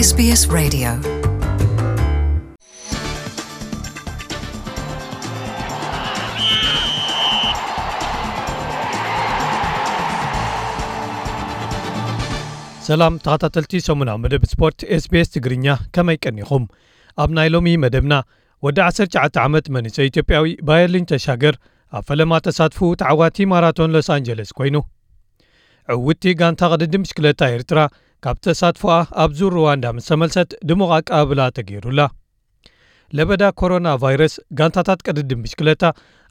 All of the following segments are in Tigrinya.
SBS Radio. ሰላም ተኸታተልቲ ሰሙናዊ መደብ ስፖርት SBS ትግርኛ፣ ከመይ ቀኒኹም? ኣብ ናይ ሎሚ መደብና፣ ወዲ ዓሰርተ ትሽዓተ ዓመት መንእሰይ ኢትዮጵያዊ ባየርሊን ተሻገር ኣብ ፈለማ ተሳትፎ ተዓዋቲ ማራቶን ሎስ ኣንጀለስ ኮይኑ። ዕውትቲ ጋንታ ቅድድም ብሽክለታ ኤርትራ ካብ ተሳትፎኣ ኣብ ዙር ሩዋንዳ ምስ ተመልሰት ድሙቕ ኣቀባብላ ተገይሩላ። ለበዳ ኮሮና ቫይረስ ጋንታታት ቅድድም ብሽክለታ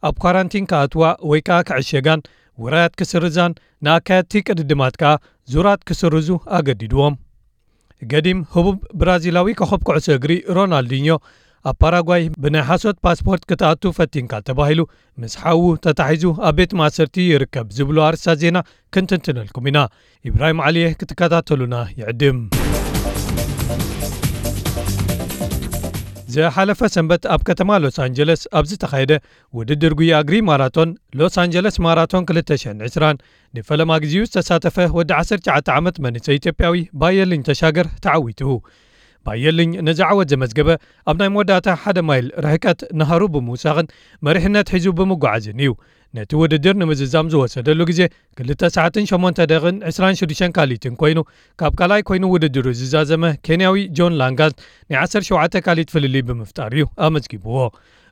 ኣብ ኳራንቲን ክኣትዋ ወይ ከኣ ክዕሸጋን ውራያት ክስርዛን ንኣካየድቲ ቅድድማት ከኣ ዙራት ክስርዙ ኣገዲድዎም። ገዲም ህቡብ ብራዚላዊ ኮኸብ ኩዕሶ እግሪ ሮናልዲኞ ኣብ ፓራጓይ ብናይ ሓሶት ፓስፖርት ክትኣቱ ፈቲንካ ተባሂሉ ምስ ሓዉ ተታሒዙ ኣብ ቤት ማእሰርቲ ይርከብ ዝብሉ ኣርእስታት ዜና ክንትንትነልኩም ኢና። ኢብራሂም ዓሊየ ክትከታተሉና ይዕድም። ዝሓለፈ ሰንበት ኣብ ከተማ ሎስ ኣንጀለስ ኣብ ዝተኻየደ ውድድር ጉያ እግሪ ማራቶን ሎስ ኣንጀለስ ማራቶን ክልተ ሽሕን ዕስራን ንፈለማ ግዜኡ ዝተሳተፈ ወዲ ዓሰርተ ትሽዓተ ዓመት መንእሰይ ኢትዮጵያዊ ባየልኝ ተሻገር ተዓዊቱ። ባየልኝ ነዚ ዓወት ዘመዝገበ ኣብ ናይ መወዳእታ ሓደ ማይል ርሕቀት ናህሩ ብምውሳኽን መሪሕነት ሒዙ ብምጓዓዝን እዩ። ነቲ ውድድር ንምዝዛም ዝወሰደሉ ግዜ ክልተ ሰዓትን ሸሞንተ ደቂቕን ዕስራን ሽዱሽተን ካሊትን ኮይኑ፣ ካብ ካልኣይ ኮይኑ ውድድሩ ዝዛዘመ ኬንያዊ ጆን ላንጋት ናይ ዓሰርተ ሸውዓተ ካሊት ፍልልይ ብምፍጣር እዩ ኣመዝጊብዎ።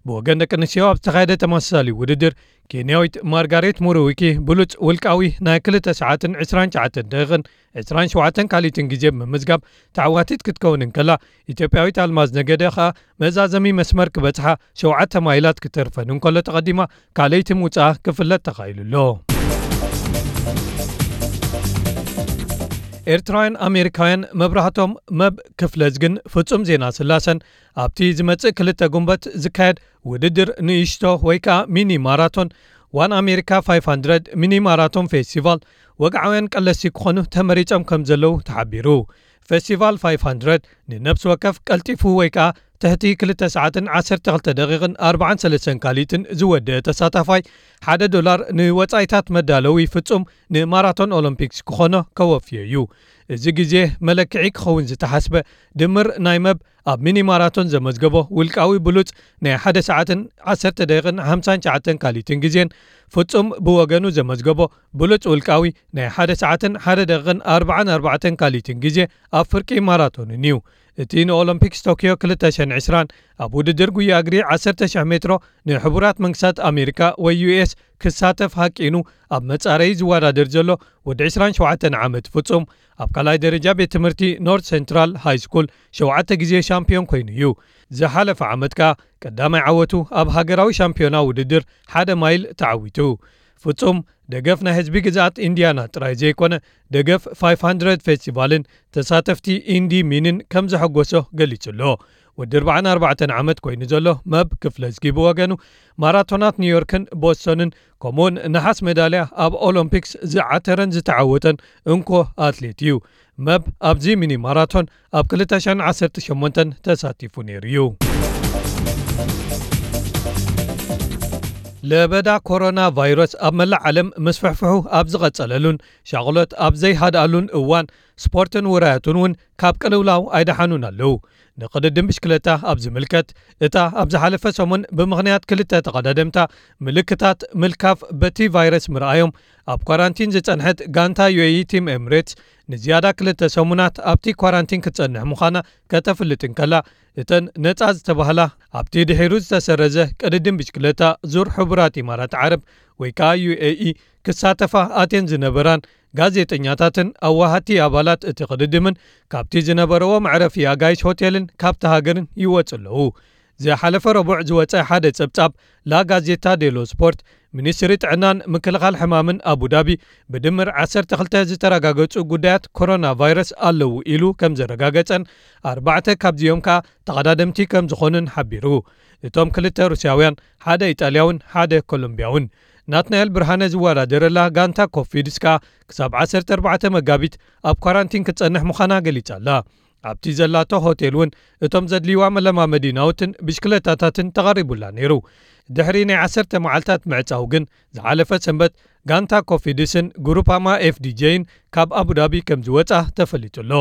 ብወገን ደቂ ኣንስትዮ ኣብ ዝተኻየደ ተመሳሳሊ ውድድር፣ ኬንያዊት ማርጋሬት ሙሩዊኪ ብሉጽ ውልቃዊ ናይ ክልተ ሰዓትን ዕስራን ትሽዓተን ደቂቕን ዕስራን ሸውዓተን ካሊትን ግዜ ብምምዝጋብ ተዓዋቲት ክትከውን እንከላ፣ ኢትዮጵያዊት ኣልማዝ ነገደ ኸኣ መዛዘሚ መስመር ክበጽሓ ሸውዓተ ማይላት ክተርፈን እንከሎ ተቐዲማ ካልኣይቲ ምውጻኣ ክፍለጥ ተኻኢሉ ኣሎ። ኤርትራውያን ኣሜሪካውያን መብራህቶም መብ ክፍለዝግን ፍጹም ዜና ስላሰን ኣብቲ ዝመጽእ ክልተ ጉንበት ዝካየድ ውድድር ንእሽቶ ወይ ከኣ ሚኒ ማራቶን ዋን ኣሜሪካ ፋይፍ ሃንድረድ ሚኒ ማራቶን ፌስቲቫል ወግዓውያን ቀለስቲ ክኾኑ ተመሪጾም ከም ዘለዉ ተሓቢሩ። ፌስቲቫል ፋይፍ ሃንድረድ ንነብሲ ወከፍ ቀልጢፉ ወይ ከኣ ትሕቲ ክልተ ሰዓትን ዓሰርተ ክልተ ደቂቕን ኣርባዓን ሰለስተን ካሊትን ዝወደአ ተሳታፋይ ሓደ ዶላር ንወጻኢታት መዳለዊ ፍጹም ንማራቶን ኦሎምፒክስ ክኾኖ ከወፍዮ እዩ። እዚ ግዜ መለክዒ ክኸውን ዝተሓስበ ድምር ናይ መብ ኣብ ሚኒ ማራቶን ዘመዝገቦ ውልቃዊ ብሉጽ ናይ ሓደ ሰዓትን ዓሰርተ ደቂቕን ሓምሳን ትሽዓተን ካሊትን ግዜን ፍጹም ብወገኑ ዘመዝገቦ ብሉጽ ውልቃዊ ናይ ሓደ ሰዓትን ሓደ ደቂቕን ኣርባዓን ኣርባዕተን ካሊትን ግዜ ኣብ ፍርቂ ማራቶንን እዩ። እቲ ንኦሎምፒክስ ቶክዮ ክልተ ሽሕን ዕስራን ኣብ ውድድር ጉያ እግሪ ዓሰርተ ሽሕ ሜትሮ ንሕቡራት መንግስታት ኣሜሪካ ወይ ዩ ኤስ ክሳተፍ ሃቂኑ ኣብ መጻረዪ ዝወዳደር ዘሎ ወዲ ዕስራን ሸውዓተን ዓመት ፍጹም ኣብ ካልኣይ ደረጃ ቤት ትምህርቲ ኖርት ሴንትራል ሃይ ስኩል ሸውዓተ ግዜ ሻምፒዮን ኮይኑ እዩ። ዝሓለፈ ዓመት ከኣ ቀዳማይ ዓወቱ ኣብ ሃገራዊ ሻምፒዮና ውድድር ሓደ ማይል ተዓዊቱ። ፍጹም ደገፍ ናይ ህዝቢ ግዝኣት ኢንዲያና ጥራይ ዘይኮነ፣ ደገፍ ፋይፍ ሃንድረድ ፌስቲቫልን ተሳተፍቲ ኢንዲ ሚንን ከም ዘሐጎሶ ገሊጹ ኣሎ። ወዲ ኣርባዓን ኣርባዕተን ዓመት ኮይኑ ዘሎ መብ ክፍለዝጊ ብወገኑ፣ ማራቶናት ኒውዮርክን ቦስቶንን ከምኡውን ነሓስ ሜዳልያ ኣብ ኦሎምፒክስ ዝዓተረን ዝተዓወተን እንኮ ኣትሌት እዩ። መብ ኣብዚ ሚኒ ማራቶን ኣብ ክልተ ሽሕን ዓሰርተ ሸሞንተን ተሳቲፉ ነይሩ እዩ። ለበዳ ኮሮና ቫይረስ ኣብ መላእ ዓለም ምስፍሕፍሑ ኣብ ዝቐጸለሉን ሻቕሎት ኣብ ዘይሃድኣሉን እዋን፣ ስፖርትን ውራያቱን እውን ካብ ቅልውላው ኣይደሓኑን ኣለዉ። ንቅድድም ብሽክለታ ኣብ ዝምልከት፣ እታ ኣብ ዝሓለፈ ሰሙን ብምኽንያት ክልተ ተቐዳደምታ ምልክታት ምልካፍ በቲ ቫይረስ ምርኣዮም ኣብ ኳራንቲን ዝጸንሐት ጋንታ ዩ ኤ ኢ ቲም ኤምሬትስ፣ ንዝያዳ ክልተ ሰሙናት ኣብቲ ኳራንቲን ክትጸንሕ ምዃና ከተፍልጥ እንከላ፣ እተን ነጻ ዝተባህላ ኣብቲ ድሒሩ ዝተሰረዘ ቅድድም ብሽክለታ ዙር ሕቡራት ኢማራት ዓረብ ወይ ከኣ ዩ ኤ ኢ ክሳተፋ ኣትየን ዝነበራን ጋዜጠኛታትን ኣዋሃቲ ኣባላት እቲ ቅድድምን ካብቲ ዝነበረዎ መዕረፊ ኣጋይሽ ሆቴልን ካብቲ ሃገርን ይወጹ ኣለዉ። ዝሓለፈ ረቡዕ ዝወጸ ሓደ ጸብጻብ ላ ጋዜታ ዴሎ ስፖርት፣ ሚኒስትሪ ጥዕናን ምክልኻል ሕማምን ኣቡዳቢ ብድምር ዓሰርተ ክልተ ዝተረጋገጹ ጉዳያት ኮሮና ቫይረስ ኣለዉ ኢሉ ከም ዘረጋገጸን ኣርባዕተ ካብዚኦም ከኣ ተቐዳደምቲ ከም ዝኾኑን ሓቢሩ። እቶም ክልተ ሩስያውያን፣ ሓደ ኢጣልያውን ሓደ ኮሎምብያውን። ናትናኤል ብርሃነ ዝወዳደረላ ጋንታ ኮፊድስ ከኣ ክሳብ ዓሰርተ ኣርባዕተ መጋቢት ኣብ ኳራንቲን ክትጸንሕ ምዃና ገሊጻ ኣላ። ኣብቲ ዘላቶ ሆቴል እውን እቶም ዘድልይዋ መለማመዲ ናውትን ብሽክለታታትን ተቐሪቡላ ነይሩ። ድሕሪ ናይ ዓሰርተ መዓልታት ምዕጻው ግን፣ ዝሓለፈ ሰንበት ጋንታ ኮፊድስን ግሩፓማ ኤፍ ዲ ጄይን ካብ ኣቡዳቢ ከም ዝወጻ ተፈሊጡ ኣሎ።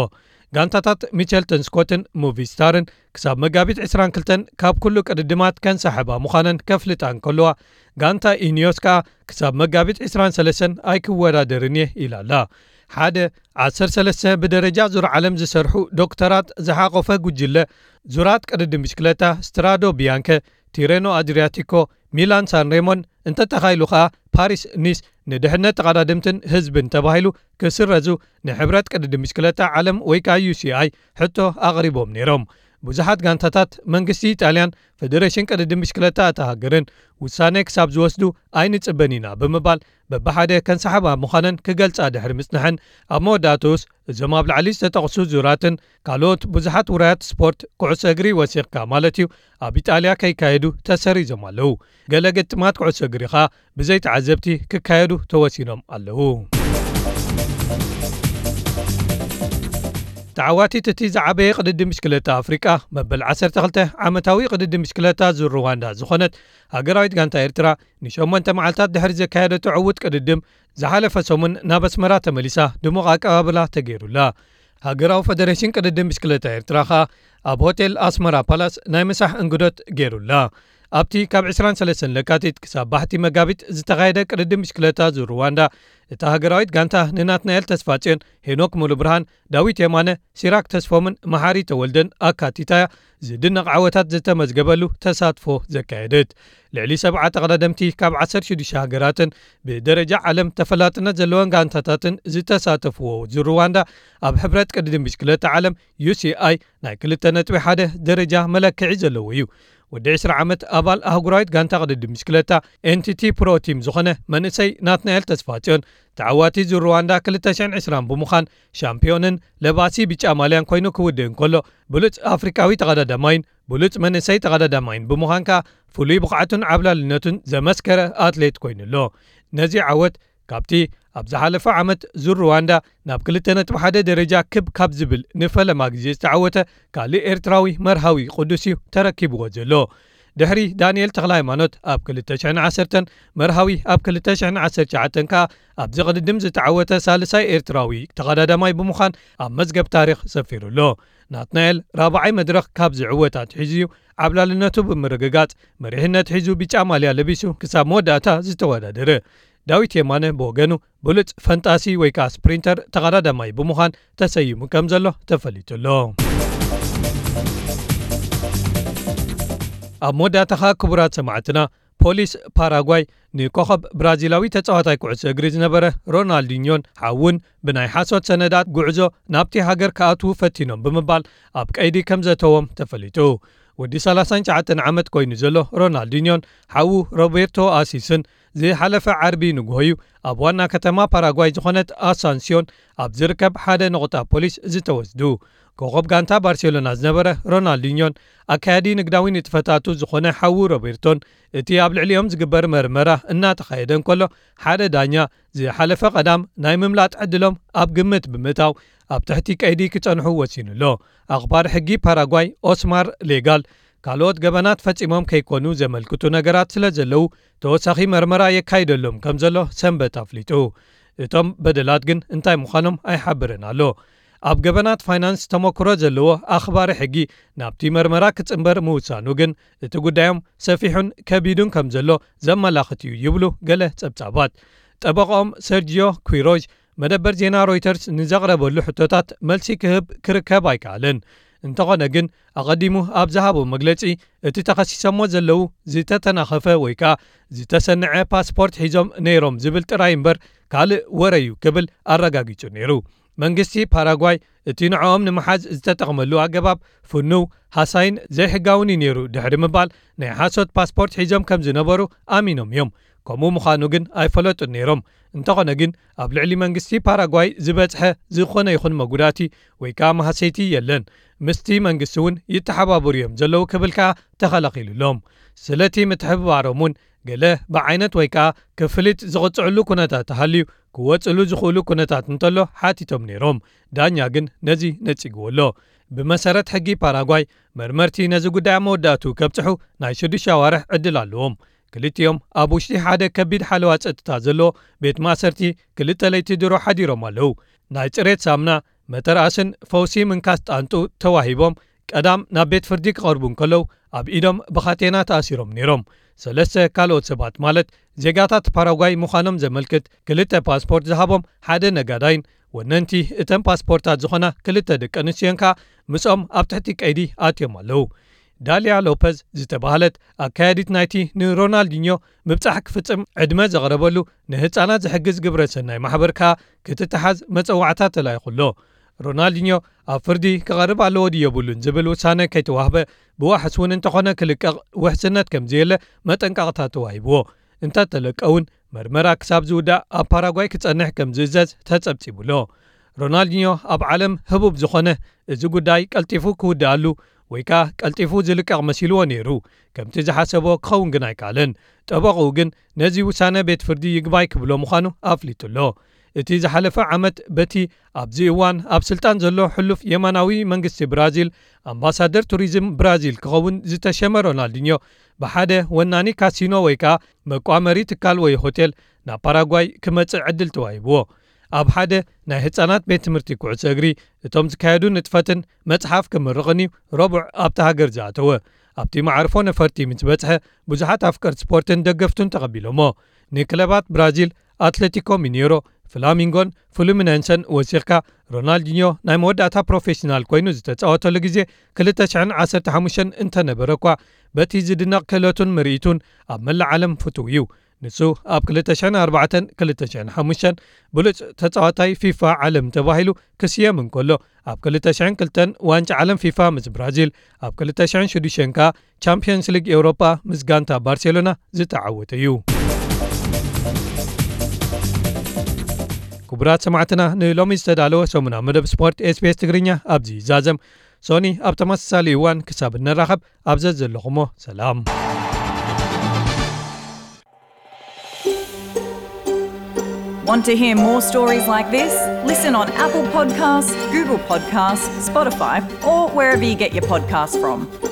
ጋንታታት ሚቸልተን ስኮትን ሙቪስታርን ክሳብ መጋቢት ዕስራን ክልተን ካብ ኩሉ ቅድድማት ከንሳሕባ ምዃነን ከፍልጣ እንከለዋ፣ ጋንታ ኢኒዮስ ከኣ ክሳብ መጋቢት ዕስራን ሰለስተን ኣይክወዳደርን እየ ኢላ ኣላ። ሓደ ዓሰርተ ሰለስተ ብደረጃ ዙር ዓለም ዝሰርሑ ዶክተራት ዝሓቖፈ ጉጅለ ዙራት ቅድድም ብሽክለታ ስትራዶ ቢያንከ፣ ቲሬኖ ኣድሪያቲኮ፣ ሚላን ሳንሬሞን፣ እንተተኻኢሉ ከኣ ፓሪስ ኒስ ንድሕነት ተቐዳደምትን ህዝብን ተባሂሉ ክስረዙ ንሕብረት ቅድድም ብሽክለታ ዓለም ወይ ከኣ ዩ ሲ ኣይ ሕቶ ኣቕሪቦም ነይሮም። ብዙሓት ጋንታታት መንግስቲ ኢጣልያን ፈደሬሽን ቅድድም ብሽክለታ እታ ሃገርን ውሳነ ክሳብ ዝወስዱ ኣይንጽበን ኢና ብምባል በብሓደ ከንሳሕባ ምዃነን ክገልጻ ድሕሪ ምጽንሐን፣ ኣብ መወዳእትኡስ እዞም ኣብ ላዕሊ ዝተጠቕሱ ዙራትን ካልኦት ብዙሓት ውራያት ስፖርት ኩዕሶ እግሪ ወሲኽካ ማለት እዩ ኣብ ኢጣልያ ከይካየዱ ተሰሪዞም ኣለዉ። ገለ ግጥማት ኩዕሶ እግሪ ኸኣ ብዘይ ተዓዘብቲ ክካየዱ ተወሲኖም ኣለዉ። ተዓዋቲት እቲ ዝዓበየ ቅድድም ብሽክለታ ኣፍሪቃ፣ መበል ዓሰርተ ክልተ ዓመታዊ ቅድድም ብሽክለታ ዙር ሩዋንዳ ዝኾነት ሃገራዊት ጋንታ ኤርትራ፣ ንሸሞንተ መዓልታት ድሕሪ ዘካየደቶ ዕዉት ቅድድም፣ ዝሓለፈ ሰሙን ናብ ኣስመራ ተመሊሳ ድሙቕ ኣቀባብላ ተገይሩላ። ሃገራዊ ፈደሬሽን ቅድድም ብሽክለታ ኤርትራ ኸኣ ኣብ ሆቴል ኣስመራ ፓላስ ናይ ምሳሕ እንግዶት ገይሩላ። ኣብቲ ካብ ዕስራን ሰለስተን ለካቲት ክሳብ ባሕቲ መጋቢት ዝተኻየደ ቅድድም ብሽክለታ ዙር ሩዋንዳ፣ እታ ሃገራዊት ጋንታ ንናትናኤል ተስፋጽዮን፣ ሄኖክ ሙሉብርሃን፣ ዳዊት የማነ፣ ሲራክ ተስፎምን መሓሪ ተወልደን ኣካቲታያ ዝድነቕ ዓወታት ዝተመዝገበሉ ተሳትፎ ዘካየደት። ልዕሊ ሰብዓ ተቐዳደምቲ ካብ ዓሰርተ ሽዱሽተ ሃገራትን ብደረጃ ዓለም ተፈላጥነት ዘለወን ጋንታታትን ዝተሳተፍዎ ዙር ሩዋንዳ፣ ኣብ ሕብረት ቅድድም ብሽክለታ ዓለም ዩ ሲ ኣይ ናይ ክልተ ነጥቢ ሓደ ደረጃ መለክዒ ዘለዎ እዩ። ወዲ ዕስራ ዓመት ኣባል ኣህጉራዊት ጋንታ ቅድድም ብሽክለታ ኤን ቲ ቲ ፕሮ ቲም ዝኾነ መንእሰይ ናትናኤል ተስፋጽዮን፣ ተዓዋቲ ዙር ሩዋንዳ ክልተ ሽሕን ዕስራን ብምዃን ሻምፒዮንን ለባሲ ብጫ ማልያን ኮይኑ ክውድእ እንከሎ፣ ብሉጽ ኣፍሪቃዊ ተቐዳዳማይን ብሉጽ መንእሰይ ተቐዳዳማይን ብምዃን ከኣ ፍሉይ ብቕዓቱን ዓብላልነቱን ዘመስከረ ኣትሌት ኮይኑ ኣሎ። ነዚ ዓወት ካብቲ ኣብ ዝሓለፈ ዓመት ዙር ሩዋንዳ ናብ ክልተ ነጥቢ ሓደ ደረጃ ክብ ካብ ዝብል ንፈለማ ግዜ ዝተዓወተ ካልእ ኤርትራዊ መርሃዊ ቅዱስ እዩ ተረኪብዎ ዘሎ። ድሕሪ ዳንኤል ተኽለሃይማኖት ኣብ ክልተ ሽሕን ዓሰርተን፣ መርሃዊ ኣብ ክልተ ሽሕን ዓሰርተ ትሽዓተን ከኣ ኣብዚ ቅድድም ዝተዓወተ ሳልሳይ ኤርትራዊ ተቐዳዳማይ ብምዃን ኣብ መዝገብ ታሪኽ ሰፊሩ ኣሎ። ናትናኤል ራብዓይ መድረኽ ካብዚ ዕወት ኣትሒዙ እዩ ዓብላልነቱ ብምርግጋጽ መሪሕነት ሒዙ ብጫ ማልያ ለቢሱ ክሳብ መወዳእታ ዝተወዳደረ። ዳዊት የማነ ብወገኑ ብሉጽ ፈንጣሲ ወይ ከኣ ስፕሪንተር ተቐዳዳማይ ብምዃን ተሰይሙ ከም ዘሎ ተፈሊጡ ኣሎ። ኣብ መወዳእታ ኸኣ ክቡራት ሰማዕትና፣ ፖሊስ ፓራጓይ ንኮኸብ ብራዚላዊ ተጻዋታይ ኩዕሶ እግሪ ዝነበረ ሮናልዲኞን ሓዉን ብናይ ሓሶት ሰነዳት ጉዕዞ ናብቲ ሃገር ክኣትዉ ፈቲኖም ብምባል ኣብ ቀይዲ ከም ዘተዎም ተፈሊጡ። ወዲ ሰላሳን ትሽዓተን ዓመት ኮይኑ ዘሎ ሮናልዲኞን ሓዉ ሮቤርቶ ኣሲስን ዝሓለፈ ዓርቢ ንግሆ እዩ ኣብ ዋና ከተማ ፓራጓይ ዝኾነት ኣሳንሲዮን ኣብ ዝርከብ ሓደ ነቑጣ ፖሊስ ዝተወስዱ። ኮኸብ ጋንታ ባርሴሎና ዝነበረ ሮናልዲኞን ኣካያዲ ንግዳዊ ንጥፈታቱ ዝኾነ ሓዉ ሮቤርቶን፣ እቲ ኣብ ልዕሊኦም ዝግበር መርመራ እናተኻየደ እንከሎ፣ ሓደ ዳኛ ዝሓለፈ ቀዳም ናይ ምምላጥ ዕድሎም ኣብ ግምት ብምእታው ኣብ ትሕቲ ቀይዲ ክጸንሑ ወሲኑ ኣሎ። ኣኽባሪ ሕጊ ፓራጓይ ኦስማር ሌጋል፣ ካልኦት ገበናት ፈጺሞም ከይኮኑ ዘመልክቱ ነገራት ስለ ዘለዉ፣ ተወሳኺ መርመራ የካይደሎም ከም ዘሎ ሰንበት ኣፍሊጡ። እቶም በደላት ግን እንታይ ምዃኖም ኣይሓብርን ኣሎ። ኣብ ገበናት ፋይናንስ ተመክሮ ዘለዎ ኣኽባሪ ሕጊ ናብቲ መርመራ ክጽንበር ምውሳኑ ግን፣ እቲ ጉዳዮም ሰፊሑን ከቢዱን ከም ዘሎ ዘመላኽት እዩ ይብሉ ገለ ጸብጻባት። ጠበቓኦም ሰርጂዮ ኩይሮዥ መደበር ዜና ሮይተርስ ንዘቕረበሉ ሕቶታት መልሲ ክህብ ክርከብ ኣይከኣለን። እንተኾነ ግን፣ ኣቐዲሙ ኣብ ዝሃቦ መግለጺ፣ እቲ ተኸሲሶሞ ዘለዉ ዝተተናኸፈ ወይ ከኣ ዝተሰንዐ ፓስፖርት ሒዞም ነይሮም ዝብል ጥራይ እምበር ካልእ ወረ እዩ ክብል ኣረጋጊጹ ነይሩ። መንግስቲ ፓራጓይ እቲ ንዕኦም ንምሓዝ ዝተጠቕመሉ ኣገባብ ፍኑው፣ ሃሳይን ዘይሕጋውን እዩ ነይሩ ድሕሪ ምባል፣ ናይ ሓሶት ፓስፖርት ሒዞም ከም ዝነበሩ ኣሚኖም እዮም። ከምኡ ምዃኑ ግን ኣይፈለጡን ነይሮም። እንተኾነ ግን፣ ኣብ ልዕሊ መንግስቲ ፓራጓይ ዝበጽሐ ዝኾነ ይኹን መጉዳእቲ ወይ ከኣ ማህሰይቲ የለን። ምስቲ መንግስቲ እውን ይተሓባበሩ እዮም ዘለዉ ክብል ከኣ ተኸላኺሉሎም። ስለቲ ምትሕብባሮም እውን ገለ ብዓይነት ወይ ከኣ ክፍሊት ዝቕጽዕሉ ኩነታት ተሃልዩ ክወጽሉ ዝኽእሉ ኩነታት እንተሎ ሓቲቶም ነይሮም። ዳኛ ግን ነዚ ነጺግዎ ኣሎ። ብመሰረት ሕጊ ፓራጓይ፣ መርመርቲ ነዚ ጉዳይ ኣብ መወዳእትኡ ከብጽሑ ናይ ሽዱሽተ ኣዋርሕ ዕድል ኣለዎም። ክልቲኦም ኣብ ውሽጢ ሓደ ከቢድ ሓለዋ ጸጥታ ዘለዎ ቤት ማእሰርቲ ክልተ ለይቲ ድሮ ሓዲሮም ኣለዉ። ናይ ጽሬት ሳምና፣ መተርኣስን ፈውሲ ምንካስ ጣንጡ ተዋሂቦም ቀዳም ናብ ቤት ፍርዲ ክቐርቡ እንከለዉ፣ ኣብ ኢዶም ብኻቴና ተኣሲሮም ነይሮም። ሰለስተ ካልኦት ሰባት፣ ማለት ዜጋታት ፓራጓይ ምዃኖም ዘመልክት ክልተ ፓስፖርት ዝሃቦም ሓደ ነጋዳይን ወነንቲ እተን ፓስፖርታት ዝኾና ክልተ ደቂ ኣንስትዮን ከኣ ምስኦም ኣብ ትሕቲ ቀይዲ ኣትዮም ኣለዉ። ዳልያ ሎፐዝ ዝተባህለት ኣካያዲት ናይቲ ንሮናልዲኞ ምብጻሕ ክፍጽም ዕድመ ዘቕረበሉ ንህጻናት ዝሕግዝ ግብረ ሰናይ ማሕበር ከኣ ክትተሓዝ መጸዋዕታ ተላኢኹ ኣሎ። ሮናልዲኞ ኣብ ፍርዲ ክቐርብ ኣለዎ ድዩ የብሉን ዝብል ውሳነ ከይተዋህበ፣ ብዋሕስ እውን እንተኾነ ክልቀቕ ውሕስነት ከም ዘየለ መጠንቀቕታ ተዋሂብዎ። እንተተለቀ እውን መርመራ ክሳብ ዝውዳእ ኣብ ፓራጓይ ክጸንሕ ከም ዝእዘዝ ተጸብጺቡ ኣሎ። ሮናልዲኞ ኣብ ዓለም ህቡብ ዝኾነ፣ እዚ ጉዳይ ቀልጢፉ ክውድኣሉ ወይ ከኣ ቀልጢፉ ዝልቀቕ መሲልዎ ነይሩ። ከምቲ ዝሓሰቦ ክኸውን ግን ኣይከኣለን። ጠበቕኡ ግን ነዚ ውሳነ ቤት ፍርዲ ይግባይ ክብሎ ምዃኑ ኣፍሊጡ ኣሎ። እቲ ዝሓለፈ ዓመት በቲ ኣብዚ እዋን ኣብ ስልጣን ዘሎ ሕሉፍ የማናዊ መንግስቲ ብራዚል ኣምባሳደር ቱሪዝም ብራዚል ክኸውን ዝተሸመ ሮናልዲኞ ብሓደ ወናኒ ካሲኖ ወይ ከኣ መቋመሪ ትካል ወይ ሆቴል ናብ ፓራጓይ ክመጽእ ዕድል ተዋሂብዎ። ኣብ ሓደ ናይ ህጻናት ቤት ትምህርቲ ኩዕሶ እግሪ እቶም ዝካየዱ ንጥፈትን መጽሓፍ ክምርቕን እዩ ረቡዕ ኣብታ ሃገር ዝኣተወ። ኣብቲ መዓርፎ ነፈርቲ ምስ በጽሐ ብዙሓት ኣፍቀርቲ ስፖርትን ደገፍቱን ተቐቢሎሞ። ንክለባት ብራዚል ኣትሌቲኮ ሚኔሮ፣ ፍላሚንጎን ፍሉሚነንሰን ወሲኽካ፣ ሮናልዲኞ ናይ መወዳእታ ፕሮፌሽናል ኮይኑ ዝተጻወተሉ ግዜ ክልተ ሽሕን ዓሰርተ ሓሙሽተን እንተነበረ እኳ፣ በቲ ዝድነቕ ክእለቱን ምርኢቱን ኣብ መላእ ዓለም ፍቱው እዩ። ንሱ ኣብ ክልተ ሽሕን ኣርባዕተን ክልተ ሽሕን ሓሙሽተን ብሉጽ ተጻዋታይ ፊፋ ዓለም ተባሂሉ ክስየም እንከሎ፣ ኣብ ክልተ ሽሕን ክልተን ዋንጫ ዓለም ፊፋ ምስ ብራዚል፣ ኣብ ክልተ ሽሕን ሽዱሽተን ከኣ ቻምፕዮንስ ሊግ ኤውሮጳ ምስ ጋንታ ባርሴሎና ዝተዓወተ እዩ። ክቡራት ሰማዕትና፣ ንሎሚ ዝተዳለወ ሰሙናዊ መደብ ስፖርት ኤስቢኤስ ትግርኛ ኣብዚ ይዛዘም። ሶኒ ኣብ ተመሳሳሊ እዋን ክሳብ እንራኸብ ኣብ ዘዘለኹሞ ሰላም። Want to hear more stories like this? Listen on Apple Podcasts, Google Podcasts, Spotify, or wherever you get your podcasts from.